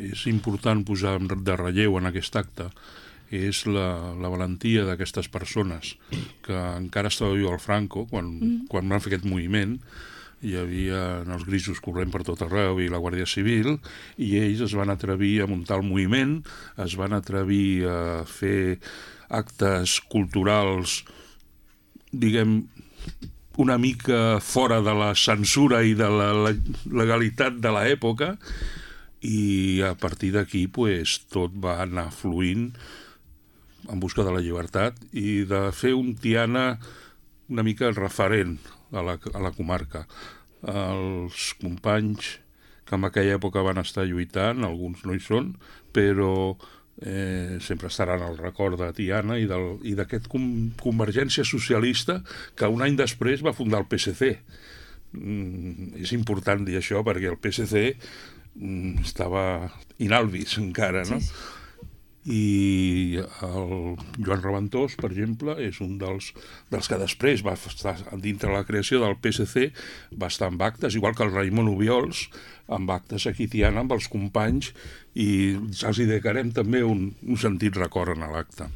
és important posar de relleu en aquest acte és la valentia d'aquestes persones que encara estava viu el Franco quan van fer aquest moviment. Hi havia els grisos corrent per tot arreu i la Guàrdia Civil, i ells es van atrevir a muntar el moviment, es van atrevir a fer actes culturals, diguem, una mica fora de la censura i de la legalitat de l'època, i a partir d'aquí tot va anar fluint en busca de la llibertat i de fer un Tiana una mica referent a la comarca. Els companys que en aquella època van estar lluitant, alguns no hi són, però sempre estaran al record de Tiana i d'aquest Convergència Socialista que un any després va fundar el PSC. És important dir això perquè el PSC estava in albis encara, no? Sí. I el Joan Reventós, per exemple, és un dels que després va estar dintre la creació del PSC, va estar amb actes, igual que el Raimon Obiols, amb actes aquí a Tiana amb els companys, i els hi dedicarem també un sentit record en l'acte.